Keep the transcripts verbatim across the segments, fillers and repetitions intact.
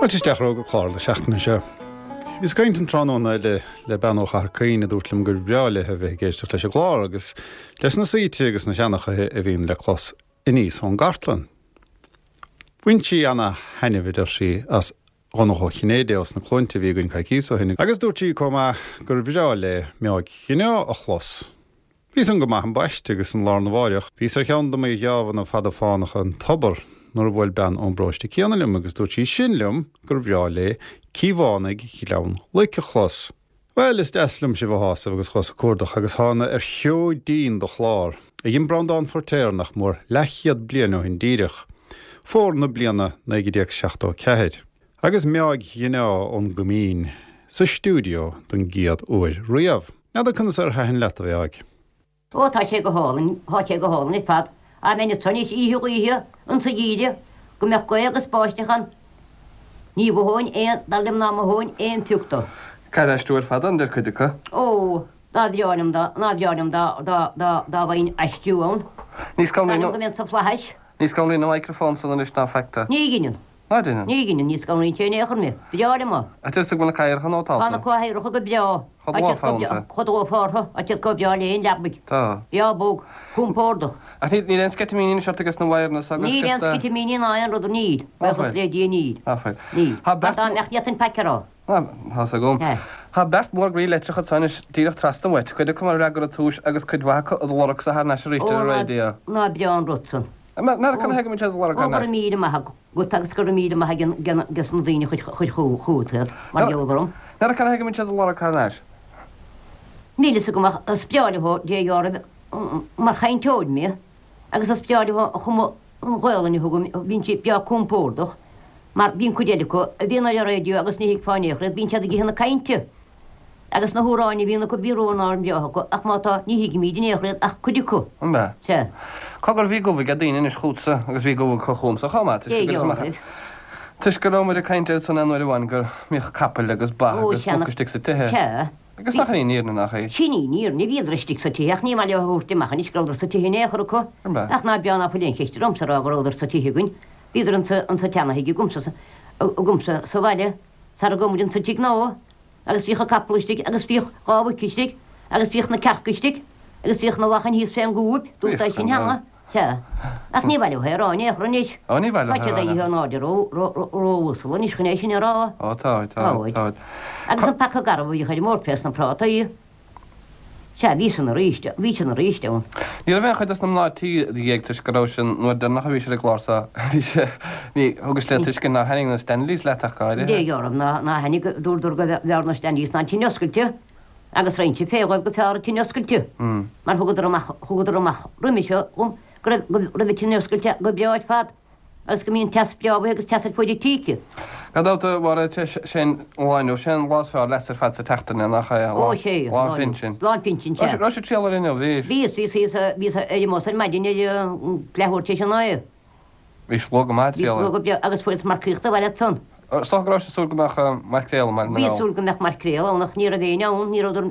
Fáilte isteach romhaibh go clár na seachtaine seo. Bhíos ag caint an tráthnóna le le bean ó Chathair Caoin a dúirt liom gur bhreá léi a bheith ag éisteacht leis an gclár agus leis na saoite agus na seanchaithe a bhíonn le clos aníos ón gcartlann. Bhain sí ana-thaitneamh a deir sí as Dhonncha Ó Cinnéide os na Cluainte a bhí againn coicíos ó shin agus dúirt sí chomh maith gur bhreá léi Meáig Chinneá a chlos. Bhí san go maith ambaiste agus an lá arna mháireach bhíos ar cheann de mo gheábhanna fada fánacha an tobar nuair a bhuail bean ón bparóiste céanna liom agus dúirt sí sin liom gur bhreá léi Cíobhánaigh Ghleann Loic a chlos. Bhuel, is deas liom sibh a shásamh agus chuas ag cuardach agus thána ar sheoidín de chlár a dhein Breandán Feiritéar nach mór leathchéad bliain ó shin díreach, fómhar na bliana naoi déag seachtó a ceathair, agus Meáig Ghineá ón gCoimín sa stiúideo don gcéad uair riamh. N'fheadar conas ar thaitin leat, a Mheáig? Ó, tá sé go hálainn, tá sé go hálainn ar fad. Dá mbeinn anso anois oíche ghaoithe insa gheimhreadh, go mbeadh gaoth agus báisteach ann, ní mhothóinn aon, dar liom ná mothóinn aon phioc dó. Caithfear aistriú ar fad ann, deir cuid acu. Ó, dá bhreá liom dá, ná bhreá liom dá, dá, dá, dá bhfaighinn aistriú ann. Ní Dar liom go mbeinn sa fhlaithis. Ní scanraíonn an microphone san anois ná faic tú. Ní dheineann. Ná deineann? Ní dheineann, ní scanraíonn sé in aon chor mé. Breá liom é. Ach deir tú go bhfuil na cathaoireacha nótálta? Tá na cathaoireacha go breá. Chomh dlúthfhónta. Chomh dlúthfhórtha, tá siad chomh breá le haon leabaidh. Tá. Breá bog, compordach. Ach níl, níl aon sceitimíní anois ort ages na wires agus Níl aon sceitimíní ná aon rud, níl. Ná fuil. Buíochas le Dia níl. Ná fuil. Níl. Tá Mar beirt. dá mbeadh ní fhéadfainn faic a rá. Ná, tá's agam. Sea. Tá beirt mhór groí leictreach anso anois díreach trasna uait, cuid acu mar fhreagra ar túis agus cuid mhaith acu id lorgsa thar n-ais arís Ó, ar an ná, raidió. ná breá an rud san. N'fheadar cad ina thaobh go mbíonn siad id lorg Ó, thar go raibh n-ais. míle maith agat agus go raibh míle maith ages na daoine a chuir chugat iad, mar gheall orm. N'fheadar cad ina thaobh go mbíonn siad id lorg thar n-ais. Níl fhios agam ach is breá leo Dé dhealraimh mar chainteoir mé agus is breá leo an chuma an Ghaolainn a thugaim, bíonn sí breá compordach mar bíonn cuid eile acu a bhíonn ar an raidió agus ní thuigfeá in aon chor iad, bíonn siad ag ithe na cainte. Agus na hamhráin a bhíonn acu, bíonn amhráin bhreátha acu, ach má tá, ní thuigimíd in aon chor iad ach cuid acu. An ea? Sea. Cogar, bhí gomh ag daoine anois chugatsa, agus bhí gomh acu chugamsa chomh maith, toisc Cé go gheobhaidh? toisc go raibh muid ag caint air san aon uair amháin go mbíodh capaill agus ba Ó, agus sea, muc istigh sa tithe. Sea. Agus nach in í an fhírinne, nach í? Sin í an fhírinne, bhíodar istigh sa tithe, ach ní maith leo a thabhairt amach anois go rabhadar sa tithe in aon chor acu. An ea? Ach ná breá ná fuil aon cheist ormsa a rá go rabhadar sa tithe againn. Bhíodar insa, insa tseana-thigh agamsa, agamsa sa bhaile, sara gabh muid insa tigh nua. Agus bhíodh an capall istigh agus bhíodh dhá mhuic istigh agus bhíodh na cearca istigh agus bhíodh na lachain thíos fén gcúib, dúirt é sin cheana, sea. Ach ní maith leo é a rá in aon chor anois. Ó, ní maith leo Tá é a siad rá. éirithe in airde ró, ró, ró-uasal anois chun é sin a rá. Ó, táid, táid, Táid. táid. Agus an paca garbh a bhíodh ar an mbord fés na prátaí. Sea, bhí san arís, bhí sin arís ann. Ní raibh aon chuid dos na mná tí i do dhiaidh toisc go raibh sin, an uair deireanach a bhís ar an gclár so, bhí sé, ní, thugais le tuiscint nár thaitnigh na Stanleys leat ach go háirithe. Dé dhealramh ná, ná thaitnigh, dúradar go mb'fhearr na Stanleys ná an tine oscailte agus raghainnse fé dhóibh go fearr an tine oscailte mar thugadar amach, thugadar amach roimis seo dhom go raibh, go raibh an tine oscailte go breá ar fad. Agus go mbíonn teas breá uaithi agus teas ar fuaid an tíghe. Gan dabht, a Mháire, sé an lá inniu, sé an lá is fearr leatsa ar fad sa tseachtain é, nach é? Ó, sé, Lá an phinsin. Lá an phinsin, sea. Raibh sibh ag triall air inniu, bhí? Bhíos, bhíos thíos, bhíos ar an mbus ar maidin ar leathuair tar éis a naoi. Bhís luath go maith ag Bhíos triall air. luath go breá agus fuaireas marcaíocht abhaile ansan. Is dócha go raibh sibh ag súil go mbeadh maicréal i mBaile na Bhíos nGall. súil go mbeadh maicréal ann ach ní raibh éinne ann, ní rabhadar,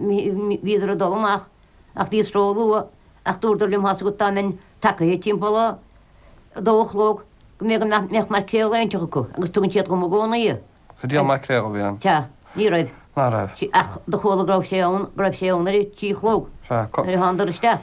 bhíodar ag dul amach ach bhíos ró-luath ach dúradar liom thá's agat dá mbeinn tagaithe timpeall a a dó a chlog go mbeadh go mbeadh maicréal éinteach acu agus tugann siad dhom i gcónaí é. Sa díol maicréal a bhí ann. Sea, ní raibh. Ná raibh. Ach do chuala go raibh sé ann, go raibh sé ann ar a trí a chlog. Sea, co. Nuair a thánadar isteach.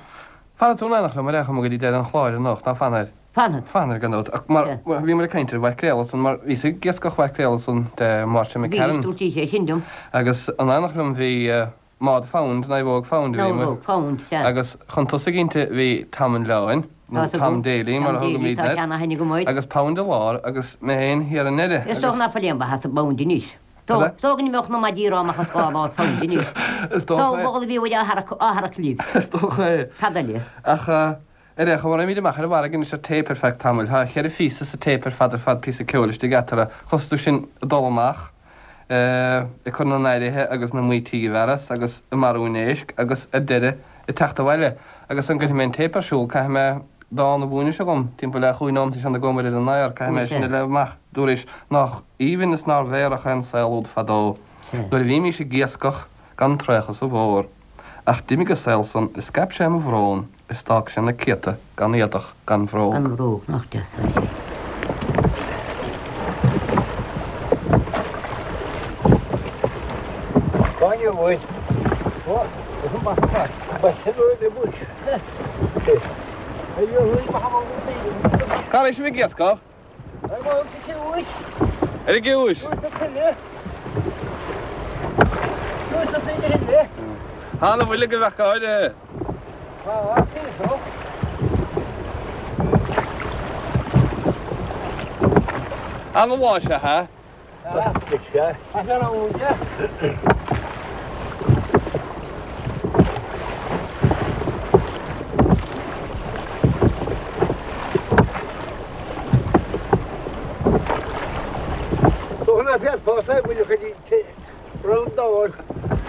Fanfaidh tú in éineacht liom ar aon chuma go dtí deireadh an chláir anocht, ná fanfaidh? Fanfad. Fanfaidh gan dabht. Ach mar, Sea. bhíomar ag caint ar mhaicréal ansan mar bhíos ag iascach mhaicréal ansan de Máirtín Bhís, McCarron. dúirt sí é sin liom. Agus in éineacht liom bhí Maud Found, Naomhóg Found a bhí amuigh. Naomhóg Found, sea. Agus chun tosaigh inti bhí Tom an Leoin, nó Tá 's agam. Tom Daly mar Tom a Daly, thugaimidne tá air, seana-aithne agam air. agus Pound i lár agus mé féin thiar i ndeireadh Is dócha agus. ná fuil aon mhaith as an bpound anois. Cad é? Is dócha go n-imeodh na maidí amach as dhá lár pound anois. Is Dá dócha é. bhfoghlaim a bhí uaidh á tharrac, á tharrac libh. Is dócha é. Cad eile? Ach ar aon chuma, raghaimid amach ar an bhfarraige anois ar téip ar feadh tamaill. Tá cheithre phíosa sa téip ar fad ar fad, píosa ceoil istigh eatarthu. Chloisfidh tú sinn ag dul amach. ag cur na n-aeraithe agus na mbaoití i bhfearas agus ag marú an éisc agus ar deireadh ag teacht abhaile. Agus sula gcuirfidh mé an téip ar siúl caithfidh mé dán a mhúineadh seo dhom, timpeall le chúig nóimeat ansin a gabhfaidh muid ar an aer, caithfidh mé sin a léamh amach. Dúraís nách aoibhinn is nár mheidhreach é an saol úd fadó nuair a bhímís ag iascach gan traochadh sa bhfómhar. Ach d'imigh an saol san is scaip sé mo bhrón is d'fhág sé na céadta gan éadach gan bhróg. Gan bhróg, nach deas é sin. Cá raibh sibh ag iascach? Ar an gciumhais? Tá na bhfuil go bheith áirithe. An bhá se ha?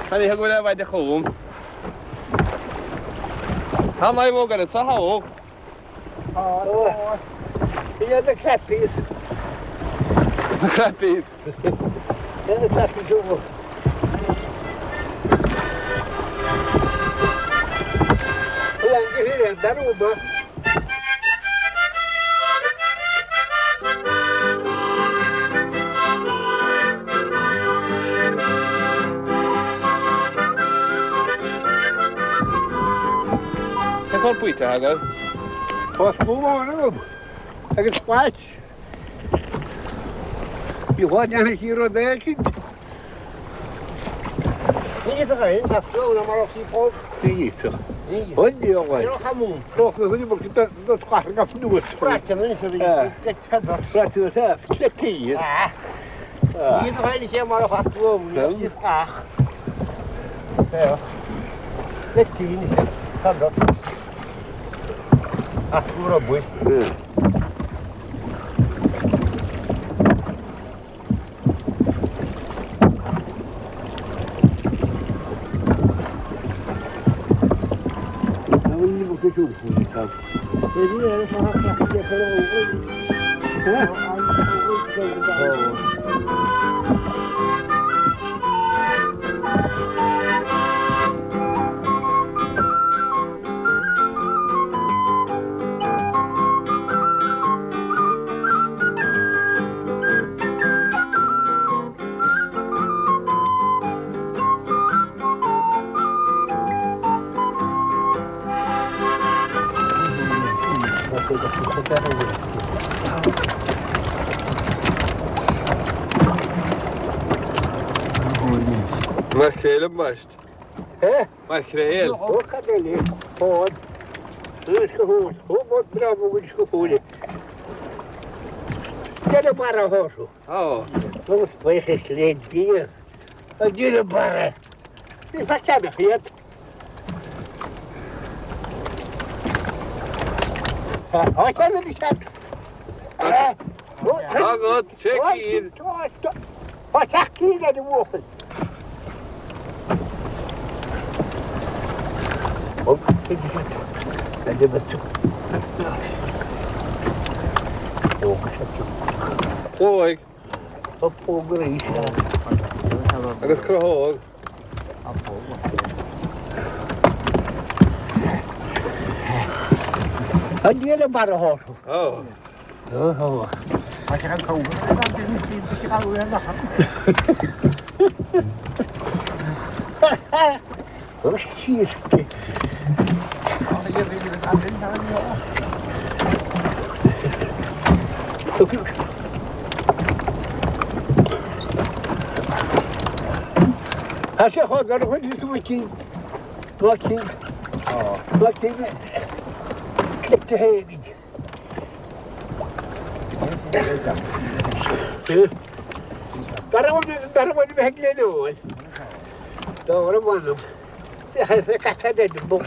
Tá ní go bhfuil bhaid chum. Tá mé bhó go sa há? Yeah, the crappies. The crappies. Yeah, the crappies over. Cén sórt baoite agat? Tá spúmán agam agus spáit. Bhí dhá dhéanamh sí rud éicint. Ní Mar chéile meist. Mar chéile. Ó. Agat, sé cín. Póig. Agus crothóg. Ó.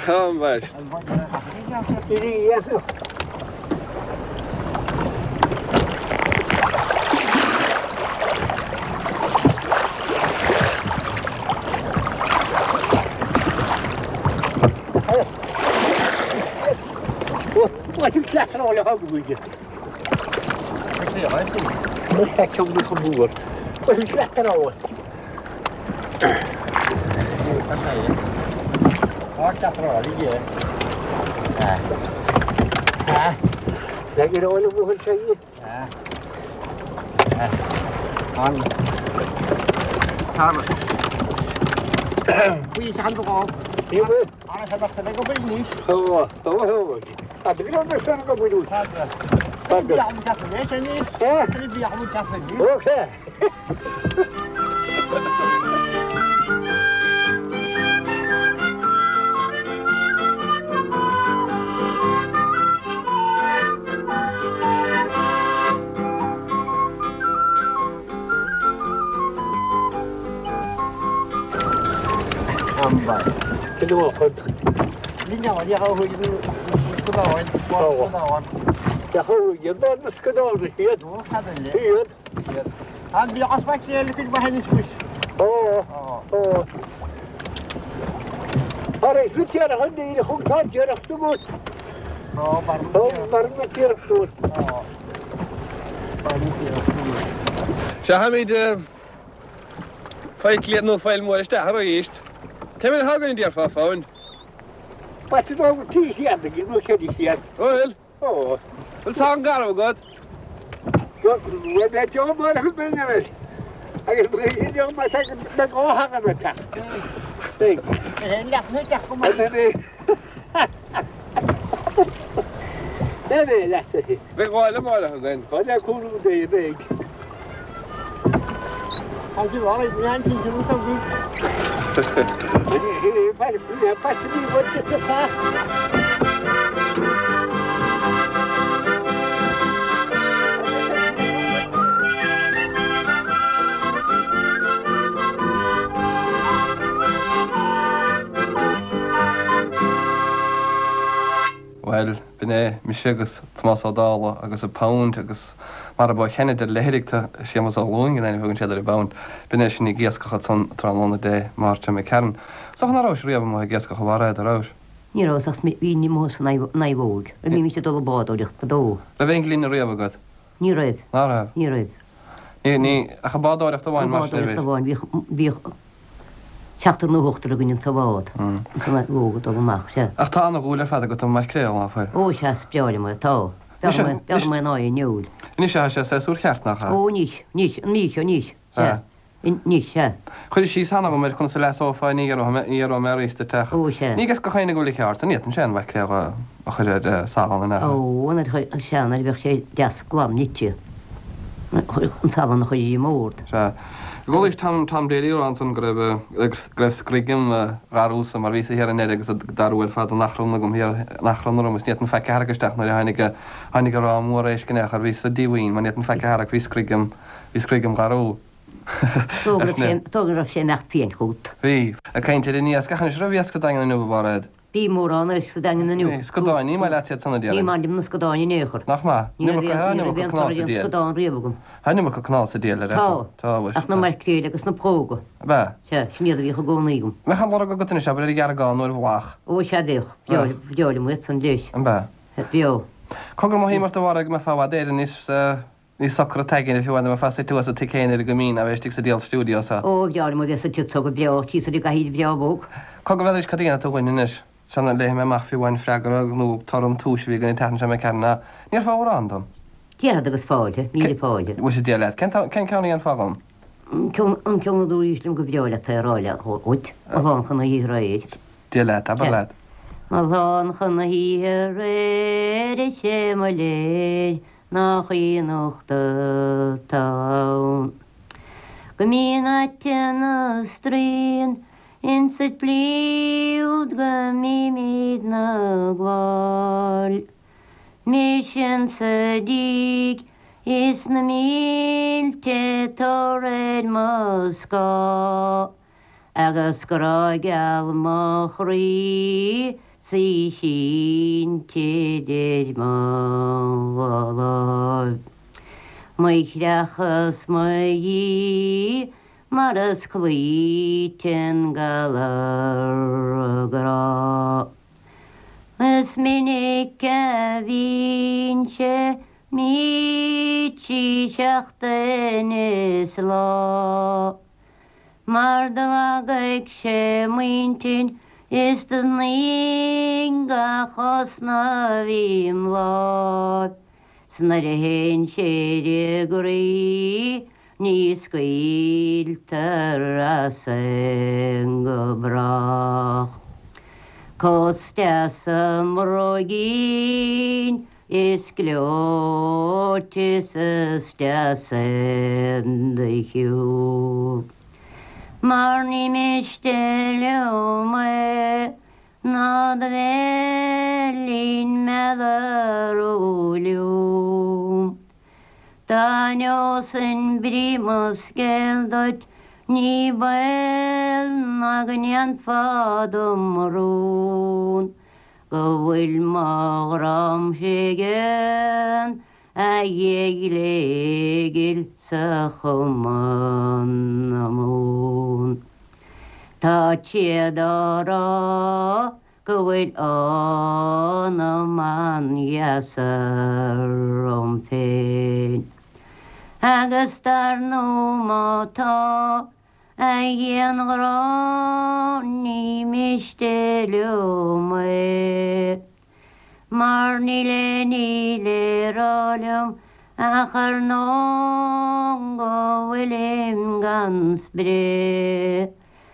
Ó, meist. Okay. Seachaimid feiclíad nó feil mór isteach arís. Cé mhéad thagann déarfá fáin? Trí chéad nó ceithre chéad. Bhfuil? Ó. Bhfuil saghas garbh agat? Bhuel, beidh deoch mar a chuid mé agus beidh deoch mar beidh dhá thagann ar teach. Beidh. Beidh leasaithe. Beidh dhá le máire againn. Dhá le cúlú dé beidh. Bhuel, b'in é mise agus Tomás Ó Dálaigh agus a Pound agus mar a ba cheann le hidirta Séamus Ó Lúing in ainm thugann siad ar an bPound. B'in é sin ag iascach an tráthnóna Dé Máirt seo Cearn. So nach raibh riamh amuigh ag iascach a bharra a raibh. Ní raibh ach bhí ní mó san naomhóg, a bhí mise dul bádóireacht fadó. Raibh aon ghloine riamh agat? Ní raibh. Ná raibh? Ní raibh. Ní ní ach an bádóireacht amháin mar sin a bhí. Bádóireacht amháin bhíodh bhíodh seachtar nó ochtar againn sa bhád. San naomhóg dul amach sea. Ach tá an-dhúil ar fad agat an maicréal ná fuil? Ó sea, is breá liom é, tá. B'fhearr mé ná é an fheoil. Anois tá sé séasúr ceart nach ea? Ó anois, anois, an mhí seo anois, sea. Anois, sea. Cuir síos cheana agam ar conas a leasófá ní raibh mé ní raibh mé arís duit ach. Ó sea. Ní go chaoine go bhfuil ceart, an fhéadann sé an mhaicréal a chur ar salann an ea? Ó, an sea, nuair a bheadh sé deas glan nite. An salann a chur ar an mbord. Sea. Ghualaís Tom Tom Daly rá ansan go raibh go raibh scroigim gharúsa mar bhí sa thiar in Eire agus darú ar fad an achrann agam thiar an achrann orm is ní fhéadfainn faic a tharrac isteach nuair a tháinig tháinig an ráth mór éisc in aon chor bhí sa díomhaoin mar ní fhéadfainn faic a tharrac bhí scroigim bhí scroigim gharú. Tó go raibh sé imeacht féin chugat. Bhí. Ag caint ar an iasc ach anois raibh iasc sa Daingean inniu a Mhairéad. Bhí mórán éisc sa Daingean inniu. Bhí. Scadáin, ní maith leat iad san a déarfainn. Ní maith liom na scadáin in aon chor. Nach maith? Ní raibh aon ní raibh aon toradh aon scadán riamh agam. Tá an iomarca cnámh sa diail ar Tá. Tá, mhuise. Ach na maicréil agus na próga. Ab ea? Sea, sin iad a bhíodh i gcónaí agam. Mbeadh an lorg agat anois, abair, ar gheargán nó ar bhlach? Ó, sea, bheadh. Bhreá bhreá liom iad san leis. Ab ea? Bheadh. Cogar mothaím ort a Mhairéad go mbeifeá i bhfad Éireann níos níos socra taigin fiú amháin dá mbeifeá suite thuas sa tigh céanna ar an gCoimín ná bheith istigh sa diabhal stiúideo seo. Ó, bhreá liom a bheith suite anseo go breá, síos ar an gcathaoir bhreá bhog. Cogar bheadh cad a dhéanfaidh tú dhúinn anois? Sula léifidh mé amach fiú amháin freagra nó toradh an tomhais a bhí againn an tseachtain seo imigh tharainn ná ndéarfá amhrán dom? Déarfad agus fáilte, míle fáilte. Mhuise Dia leat, cén cén ceann a dhéanfá dhom? An ceann an ceann a dúraís liom go breá leat é a rá le dhuit, mo lán chun na hoíche aréir. Dia leat, abair leat. Mo lán chun na hoíche aréir is é mo léir nach í nocht atá ann. Go mbíonn aite na straoin insa tslí úd go mbímid 'na gabháil. Mise insa díg is na mílte tor ar mo scáth, agus grá geal mo chroí 's í sínte idir mo dhá láimh. Mo chreach is mo dhíth mar is cloíte an galar grá. Is minic a bhínnse mí trí seachtain is lá, mar do lagaigh sé m'intinn is do shnoígh gach osna a bhí im láimh. 'S nuair a théann sé i gcroí ní scaoiltear as sin go brách. Cos deas i mbróigín is gleoite is is deas in do shiúl. Mar ní miste liom é ná do bheilín meadar liom. Dá neosfainn brí mo scéil duit ní baol ná go ndéanfá dom rún, go bhfuil mo ghrámsa ag éan a ghléigil sa chuma na mún. Tá siad á rá go bhfuil anam an-dheas orm féin. Agus dar ndóigh má tá, a ghianghrá ní miste liom é. Mar níl éinne le rá liom ach ar ndóigh go bhfuilim gan spré.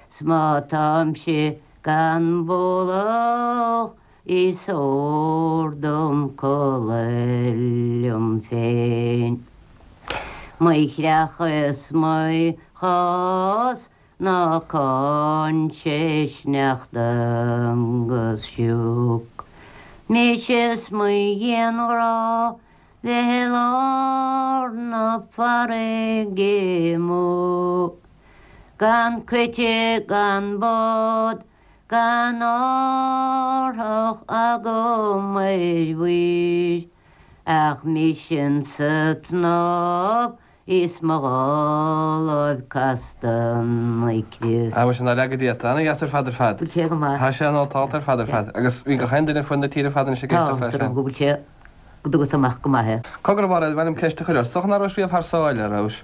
'S má táimse gan bualadh is odhar dom codladh liom féin. Mo chreach is mo chás ná cáin sé sneachta agus sioc. Mise is mo ghianghrá bheith i lár na farraige amuigh. Gan coite gan bád gan árthach agam ar mhuir, ach mise insa tsnámh is mo dhá láimh casta 'na crios. Á, sin leagan díot, ana-dheas ar fad ar fad. Bhfuil sé go maith. Tá sé nótálta ar fad ar fad. Agus bhí gach aon duine ar fud na tíre fad anois ag éisteacht leis sin. Tá, go bhfuil sé, go dtugas amach go maith é. Cogar a Mháire, ba mhaith liom ceist a chur ort. Is dócha nach rabhais riamh thar sáile, a rabhais?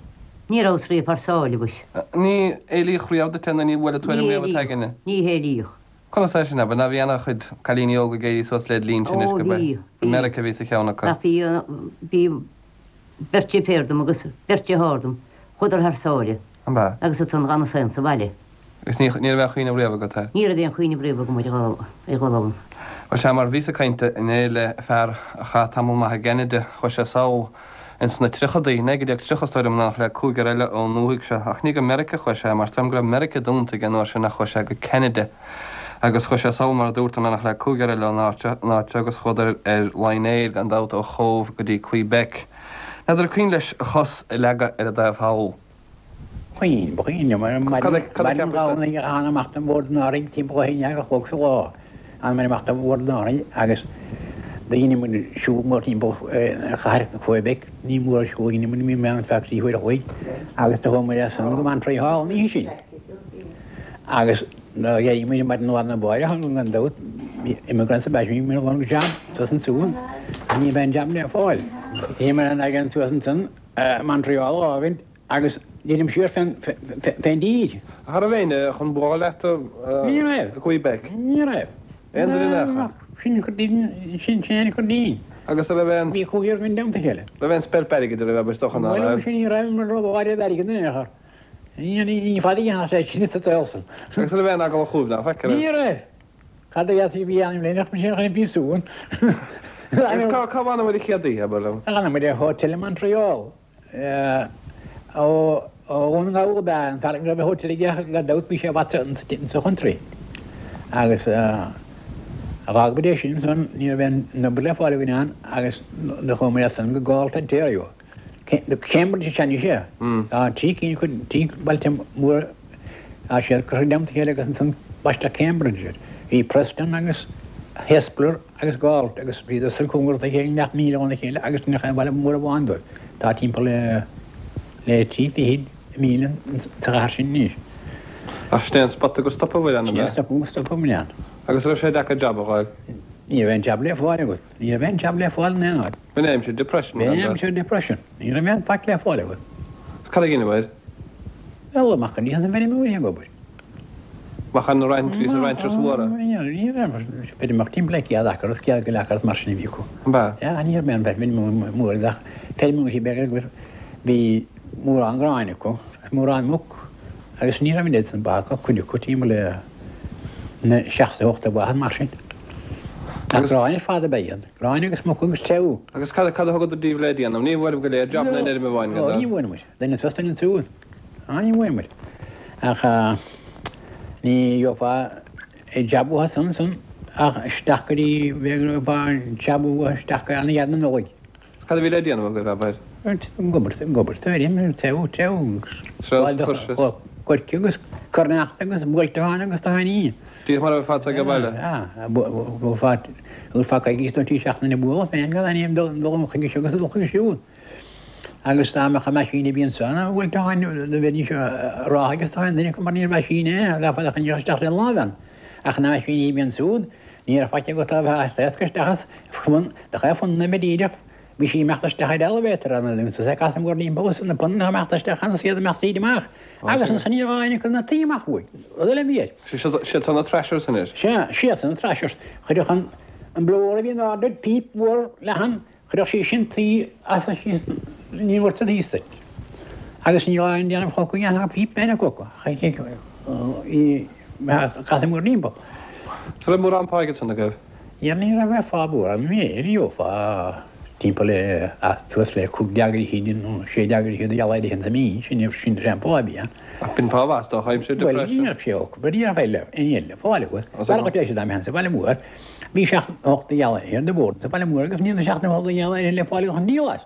Ní rabhas riamh thar sáile, mhuis. Ní éilíodh riamh duit é nó ní bhuail an tuairim riamh id aigne? Ní héilíodh. Conas é sin, abair, ná bhí ana-chuid cailíní óga ag éirí suas led linn sin anois Ó, go bhí, b'é bhí. Meiriceá a bhí sa cheann acu. Ach bhí, bhí beirt deirféar dom agus beirt dearthár dom, chuadar thar sáile. An b'ea? Agus ansan dh'fhanas féin sa bhaile. Agus ní, ní raibh aon chuimhneamh riamh agat é? Ní raibh aon chuimhneamh riamh agam ar dhul, ar dhul ann. Bhuel sea, mar bhíos ag caint inné le fear a chaith tamall maith i gCeanada, chuaigh sé sall ins na tríochadaí, naoi déag tríocha is dóigh liom, in éineacht le cúigear eile ón ndúthaigh seo, ach ní go Meiriceá a chuaigh sé, mar is dóigh liom go raibh Meiriceá dúnta ag an uair sin ach chuaigh sé go Ceanada. Agus chuaigh sé sall, mar a dúrt, in éineacht le cúigear eile ón áit seo, an áit seo agus chuadar ar Lion Air gan dabht ó Chóbh go dtí Quebec. N'fheadar an cuimhin leis a chos a leagadh ar an dtaobh thall. Cuimhin, ba chuimhin liom ar Cad a cad a maidin cheapais de? Dhomhnaigh a thána amach den Bhord in Árainn timpeall a haon dhéag a chlog sa lá. Thána muid amach den Bhord in Árainn agus do dhein muid siúl mór timpeall chathair Quebec, ní mór an siúl a dhein muid, bhí mé ann feadh trí huaire a chloig agus do chuaigh muid as san go Montreal an oíche sin. Agus do d'éirigh muid maidin lá arna mháireach gan dabht, immigrants ab ea sinn, bhí muid ag lorg jab suas ansiúd ach ní raibh aon jab le fáil. Bhí muid in againn suas ansan Montreal a fhágaint agus dheinim siar fén fén dtír. Ach an raibh éinne chun bualadh leat Ní raibh. i Quebec? Ní raibh. Aon duine in aon chor? Sin chur dínn, sin sin an chur dínn. Agus an raibh aon. Bhí cúigear againn i dteannta a chéile. Raibh aon speilp airgid a raibh, is dócha ná Bhuel, raibh. sin ní raibh mar rud áirid airgid in aon chor. Ní ní ní fada a dhéanfadh sé sin sa tsaol san. Agus an raibh aon eagla chugaibh ná feic, an Ní raibh? raibh. Cad a dhéanfaí bhí ainm léineach mar sin chun an phríosúin. Agus cá cá bhfanabhair an chéad oíche, abair liom? D'fhanamair i hotel i Montreal. Ó ó Dhún na nGall ab ea an fear go raibh a hotel aige ach gan dabht bhí sé i bhfad sa chountry. Agus dh'fhág muid é sin ansan, ní raibh aon obair le fáil againn ann agus do chuaigh muid as san go Galt, Ontario. Cambridge is ea anois é. Tá trí cinn acu, trí bailte móra, tá siad curtha i dteannta a chéile agus ansan baisteadh Cambridge air. Bhí Preston agus Hespeler agus Galt agus bhíodar san cóngarach dá chéile, leath míle óna chéile agus ní aon bhaile mór amháin dóibh. Tá timpeall le le trí fichid míle sa chathair sin anois. Ach sin é an spota gur stopabhair ann, Sin ab é ea? an stop gur stopabhair ann. Agus raibh sé deacair jab a fháil? Ní raibh aon jab le fáil agat. Ní raibh aon jab le fáil in aon áit. B'in aimsir depression, B'in gan dabht. aimsir depression. Ní raibh aon faic le fáil agat. Cad a dheineabhair? Bhuel, amach go dtí an bhfeirmeoirí ag obair. Amach ar na raintrí is na ranchers mhóra? Ní raibh, feirmeoir timpeall le céad acra is céad go leith acra is mar sin a bhí acu. An b'ea? Yeah, ní raibh aon feirmeoir mór ach feirmeoirí beaga agus bhí mórán gráin acu agus mórán muc agus ní raibh an oiread san ba acu, cuid acu timpeall le na seacht is ocht de bha mar sin. Ach gráin ar fad ab ea iad, gráin agus muc agus treabhadh. Agus cad cad a thugadar daoibh le déanamh? Ní bhfuair go léir jab na n-fheirm amháin go Ní bhfuair muid. Duine suas duine ansiúd. Á ní bhfuair muid. Ach ní gheofá jab uathu san san ach isteach go dtí bheadh jab uathu isteach go ana ghearr na Nollaig. Cad a bhí le déanamh agaibh, abair? Ag obair, ag obair sa bhfeirm, treabhadh, treabhadh agus coirce agus cur-neachta agus buailteán agus táiní. Díreach mar a bheifeá ag baile. Bhuailfeá coicís nó trí seachtaine ag bualadh féin gan aon dul chuige seo agus dul chuige siúd. Agus dá mbeadh an meaisín a bhí ansan ina bhuailteán do bheidís ag rá agus tá aon duine acu mar níor mheaisín é, gheofá a choinneodh isteach le láimh ann. Ach na meaisíní a bhí ansúd, ní raibh faic agat á bheith á phléascadh isteach as, do chaith fonna a díreach Bhí sí imeacht isteach ar elevator an agus é casadh mór timpeall is na punanna imeacht isteach ann is iad imeacht tríd amach agus ansan ní raibh éinne ag cur na tuí amach uaidh. Rud eile a bhí air. Siad san na thrashers anois. Sea, siad san na thrashers. Chuirfeadh an an blower a bhí in airde píp mhór leathan, chuirfeadh sí sin tuí as síos ní bhfuair siad thíos duit. Agus ní raibh aon déanamh chucu dhéanfadh píp féin acu ach í casadh mór timpeall. An raibh mórán pá aige san agaibh? Ní ní raibh aon phá mhór ann, bhí gheofá timpeall le suas le cúig déag fhichid nó sé déag fhichid de gheall ar an mí, sin sin an pá a bhí ann. Ach b'in pá mhaith dá aimsir Bhuel, ní raibh sé olc, ní raibh eile, aon eile le fáil agat. Mar go dtéis dá mbeinn sa bhaile mór, bhí seacht ocht de gheall ar de bhord sa bhaile mór agus ní raibh seacht nó ocht de gheall ar le fáil chun díol as.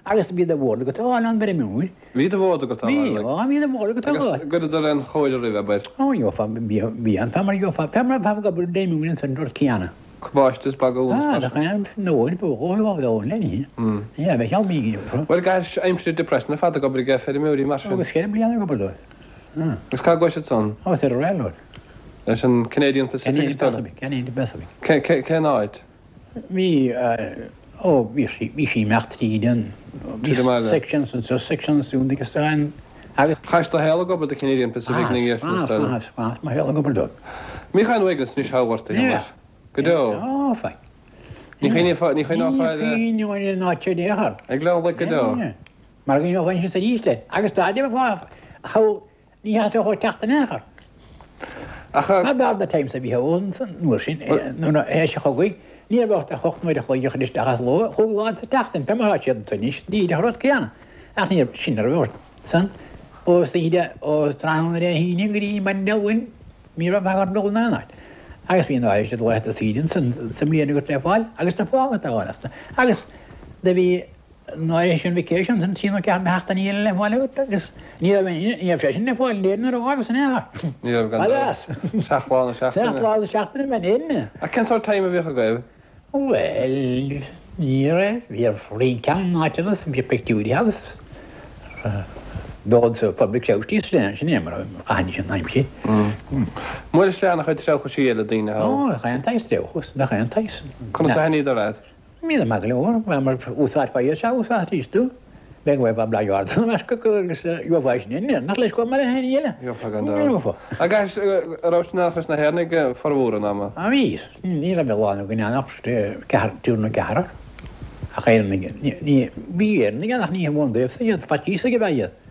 Agus bhí de bhord agat a fháil an bhfeirmeoir. Bhí de bhord agat a fháil. Bhí, ó, bhí de bhord agat a fháil. Agus gcuireadar aon chóir oraibh, abair? Ó, gheofá, bhí, bhí an, fá mar gheofá, fá mar bheifeá ag obair d'fheirmeoir ansan rud céanna. Cabáiste is bagún is Ah, mar do chaith, nó, ní bheadh dhó, dhó, dhó, le ní. Yeah, bheadh cheal mígh, Bhuel, gcaithfidh aimsir depression ar fad ag obair ag feirmeoirí mar sin. Agus ceithre bliana ag obair dóibh. Ah. Agus cá gcuaigh siad san? Ó, ar an railroad. Leis an Canadian Pacific Canadian is dóigh. Pacific, Canadian Pacific. Cé, cé, cén áit? Bhí, ó, bhí sí, bhí sí imeacht tríd an, bhí Tríd an mbaile. sections anseo, sections ansiúd agus an, agus. Chaith do shaol ag obair do Canadian Pacific na Ah, sin is dóigh. ah, ah, mo shaol ag obair dóibh. Ní chaith uaigneas níos thábhachtaí Yeah. Go deo. Ó, fine. Ní chuimhneofá, ní chuimhneofá ar, Ní chuimhneofá an áit seo in aon chor. ag Gleann Laic go deo. Mar go ngeofá sin arís é. Agus dá dtéifeá, thall, ní theastódh ó teacht in aon chor. Ach, Mar b'fhearr na times a bhí ann san uair sin, nuair a théis an chogaidh, ní raibh ach hocht n-uair a chloig a chur isteach as ló, chúig lá sa tseachtain, pé mar atá siad ansan anois, díreach an rud céanna. Ach ní raibh, sin a raibh ort san, ó oíche, ó tráthnóna Dé hAoine go dtí maidin Dé Luain, ní raibh ach dul in aon áit. Agus bhí an áit siad laethanta saoire ansan sa mbliain agat le fáil agus na fáil agat a fháil as. Agus do bhí an áit sin vacation san trí nó ceathair na seachtainí eile le fáil agat agus ní raibh ní raibh sé sin le fáil in Éirinn nuair a fhágas in aon chor. Ní raibh gan Alas. Seacht lá na seachtaine. Seacht lá na seachtaine in Éirinn. Ach cén sórt time a bhíodh agaibh? Bhuel, ní raibh, bhí roinnt ceann áiteanna bhí pictiúirí agus dul sa public house sin sin é mar a chaithfinn sin aimsir. Mhuir sleán a chuid treabhchaisí eile daoine thall. Ó, gach aon tsaghas treabhchas, gach aon tsaghas. Conas a thaitníodar leat? Bhíodar maith go leor, mar úsáidfeá iad sea úsáid thíos tú. Bheadh bheifeá blag ard ina measc acu agus gheofá sin in Éirinn, nach leis chomh maith le haon eile. Gheofá gan dabht. Gheofá. Agus a raibh sin leis na hÉireannaigh formhór an ama? Á bhí, ní raibh a lán againn ann ach ceathrar, triúr nó ceathrar. Ach Éireannaigh, ní, bhí Éireannaigh ann ach ní hamháin daobhsa iad, faitíos ag a bheith iad.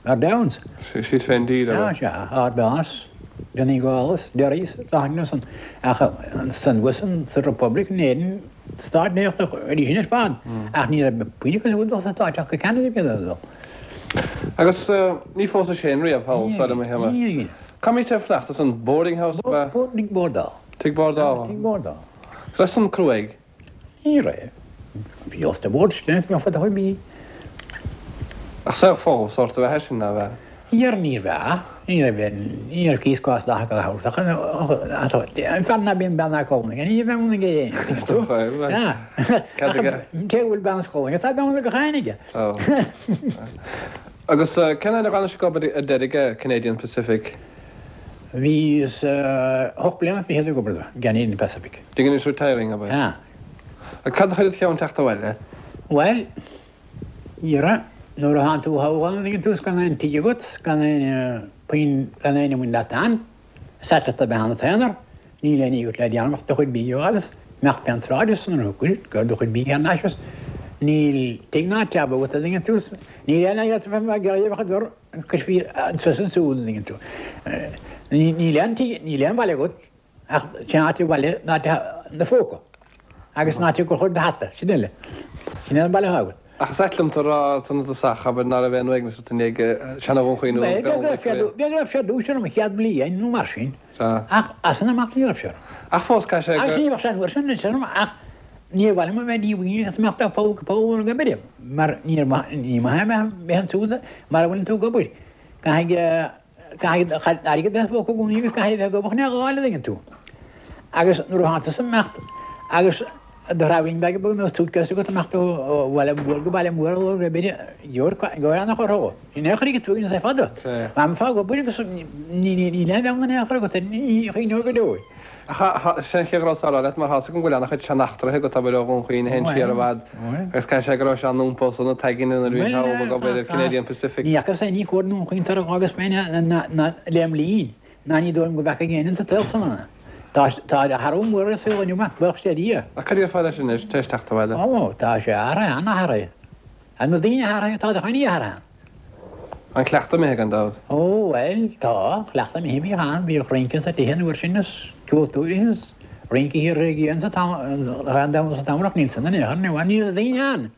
Ar Downs. Siad féin díreach. Sea, sea, Ard Mheas, Donegal, Derry, Láithne san, ach san thuas sa Republic in Éirinn, Stáit Aontaithe arís sin ar fad, ach ní raibh puinn acu dul sa Stáit ach go Ceanada bhí a dul. Agus ní phósais féin riamh thall, sara mo shéama. Ní. Cá mbítí ag fanacht san boarding house ba? Tigh bordála. Tigh bordála. Tigh bordála. Raibh san cruaidh? Ní raibh. Bhí os de bord sin is mé fada chuig mí. Ach saol folamh sórt a bheith sin ná bheith. Níor ní raibh, ní raibh ní raibh cíos cás leath go leathuair ach an fear ná bíonn bean ná cónaí aige, ní bheidh ann aige féin. Cad aige? Cé go bhfuil bean is cónaí aige, tá bean ag a chain aige. Agus cén fhad a d'fhan sibh ag obair ar deireadh ag Canadian Pacific? Bhíos ocht bliana fichead ag obair do Canadian Pacific. Did you retiring abair? Ah. Cad a chuir id cheann teacht abhaile? Bhuel, dhera, nuair a thánn tú thall ann ag an tús gan aon tigh agat, gan aon puinn, gan aon mhuin leat ann, said leat a bheith ann aonar, níl aon ní agat le déanamh ach do chuid bídh a fháil is imeacht fén tsráid is an cuid, gur do chuid bídh thar n-ais is Níl tigh ná teach agat, an dtuigeann tú. Níl aon áit agat a bheith ag iarraidh a bheith ag dul cois ansúd, an dtuigeann tú. Níl aon tigh, níl aon bhaile agat ach sin áit an bhaile ná do phóca agus an áit a gcuirfeá do hata, sin uile. Sin é an baile atá agat. Ach is ait liom tú a rá san tosach, abair, ná raibh aon uaigneas ort i ndiaidh seana-Dhún Chaoin nó Bhuel, b'fhéidir go raibh sé ar dtús orm an chéad bhliain nó mar sin, ach as san amach ní raibh sé orm. Ach fós caithfidh sé go. Agus ní bheadh sé an uair sin anois orm ach níor mhaith liom a bheith díomhaoin agus imeacht ó pholl go poll ag obair, mar níor mhaith, ní maith é a bheith ansúd mara bhfuileann tú ag obair. Caithfidh. Caithfidh airgead bheith i do phóca i gcónaí agus caithfidh a bheith ag obair chun é a dh'fháil, an dtuigeann tú. Agus nuair atá tusa ag imeacht agus do thraidhfilín beag beag nó suitcase agat ag imeacht ó bhaile mór go baile mór nó rud ar bith, gheobhair ana-chor thú. Ní chuirfidh tú iontas ar fad ort. Mar bheifeá ag obair agus níl aon bheann in aon chor agat, ní chuimhneofar go deo. Ach sin an chéad rud a rá leat mar tá's agam go bhfuil ana-chuid seaneachtraithe agat, abair, ó Dhún Chaoin a théann siar i bhfad agus caithfidh sé go raibh sé an-iompó san na taigin nuair a bhí sé ag obair ar Canadian Pacific. Ní fhacas aon chóir i nDún Chaoin tar agus mé ná lem linn ná ní dóigh liom go bhfeaca éinne sa tsaol san é. Tá athrú mór ar an saol inniu, buíochas le Dia. Ach cad déarfá leis anois, tar éis teacht abhaile? Ó, tá sé athraithe, an-athraithe. Tá na daoine athraithe, tá do choinní athraithe. An cleachtadh imithe gan dabht? Ó, bhuel, tá, an cleachtadh imithe, bhíodh ann, bhíodh rince sa tithe an uair sin is ceoltóirí is rince thiar i gcian sa t-am sa t-am níl san in aon chor inniu, níl na daoine ann,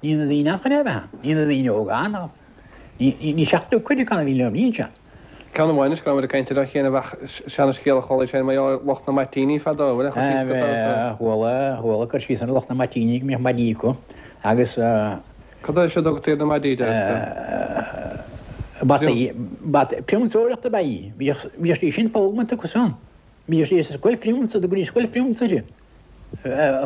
níl na daoine ann chun é a bheith ann, níl na daoine óga ann ach ní ní seachtó cuid acu a bhí liom, níl siad. Ceann amháin is go raibh muid ag caint ar an chéanna bheadh seana-scéal a chuala sé mar gheall ar lucht na mbaitíní fadó, bhfuil aon chur síos agat air sin? Chuala, chuala cur síos ar lucht na mbaitíní go mbíodh maidí acu agus Cad é seo a dtugtaí ar na maidí, deir tú? Bataí, bataí, pionsóireacht ab ea í. Bhíodh, bhíodh sí sin foghlamtha acu san. Bhíodh sí sa scoil phriúnsa, do gcuirí scoil phriúnsa uirthi.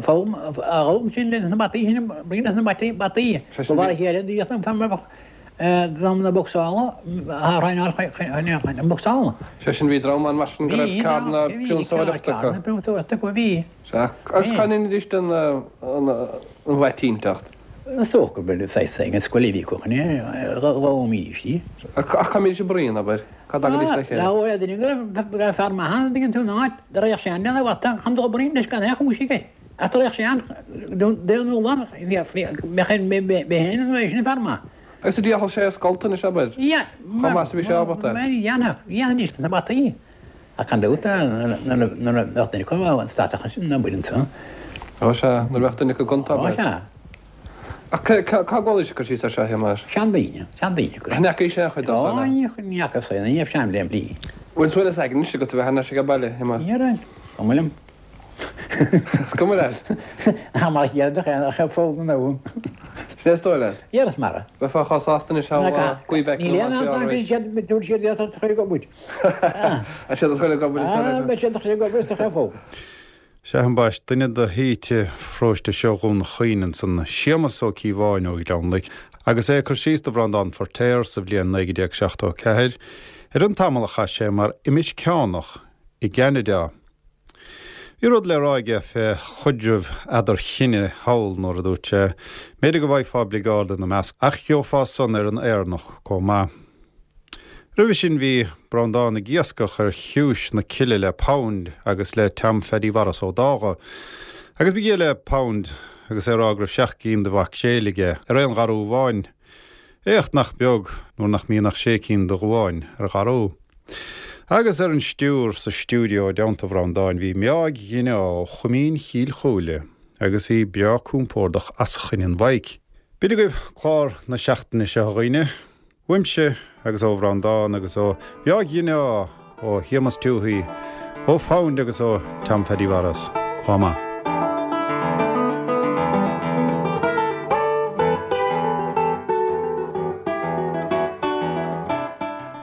Foghlaim, a fhoghlaim sin leis na bataí sin, brí leis na bataí, bataí. Ba mhar a chéile do an t-am a bheadh dream na bocsála, a thraenáil chun na bocsála. Sé sin, bhí dream ann mar sin go raibh ceard na pionsóireachta acu. Bhí, ceard na pionsóireachta acu, bhí. Sea, agus cá ndeinidís den bhaitínteacht? Is dócha go bhfuil saghas ag an scoil a bhí acu chun é a dh'fhoghlaimídís í. Ach cá mbídís ag bruíon, abair? Cá dtagaidís le chéile? Lá duine go raibh fear maith ann, an dtuigeann tú, in áit, do raghadh sé ann lena bhata chun dul ag bruíon leis gan aon chúis aige. Ach do raghadh sé ann d'aon uair, bheadh féin nó é sin fear maith. Agus a d'fhéadfadh sé a scolta anois, abair? Chomh maith is a bhí sé ábalta. Mar dhéanfadh, dhéanfaidís na bataí. Ach gan dabht, nuair a bheadh duine acu an statach ansin, ná buail ansan. Ó sea, nuair a bheadh duine acu gonta, Ó abair. sea. Ach cá gcualaís cur síos air seo, a Shéamais? Seandaoine, seandaoine cur Ach ní fhacaís aon chuid dó Ó, san, ní ní fhaca saol, ní raibh sean lem linn. Bhfuil suaimhneas aigne anois agat a bheith thar n-ais age baile, a Shéamais? Ní raibh. Cuma liom. Is cuma leat. Ach mar chéad do cheann ach fód na nabhadh. Sin é is dóigh leat? Dhera is mara. Bheifeá chomh sásta anois thall Quebec Níl nó aon Montreal ann arís. siad dúirt siad iad a chur ag obair. Tá siad a chur ag obair ansan Ah, leis. beidh siad a chur ag obair is do chur fód. Sea, ambaist, duine de shaoite pharóiste seo Dhún Chaoin ansan, Séamus Ó Cíobháin ó Ghleann Loic, agus é ag cur síos do Bhreandán Feirtéar sa bhliain naoi déag seachtó a ceathair ar an tamall a chaith sé mar imirceánach i gCeanada. Bhí rud le rá aige fé chaidreamh eadar-chine thall nuair a dúirt sé, B'fhéidir go bhfaighfeá oibligeáid ina measc, ach gheofá san ar an Éireannach chomh maith. Roimhe sin bhí Breandán ag iascach ar chiúis na cille le Pound agus le Tom Phaddy Mhaurice Ó Dágha. Agus ba ghia le Pound agus é ag rá go raibh seacht gcinn de mhaicréil aige ar aon gharú amháin. Éacht nach beag nuair nach mbíonn ach sé cinn de ghabháin ar gharú. Agus ar an stiúir sa stiúideo i dteannta Bhreandáin bhí Meáig Ghineá ó Choimín Chill Chúile agus í breá compordach as choinne an mhaidhc. B'in agaibh clár na seachtaine seo a dhaoine. Uaimse agus ó Bhreandán agus ó Mheáig Ghineá, ó Shéamus Tuohy, ó Phound agus ó Tom Phaddy Mhaurice chomh maith.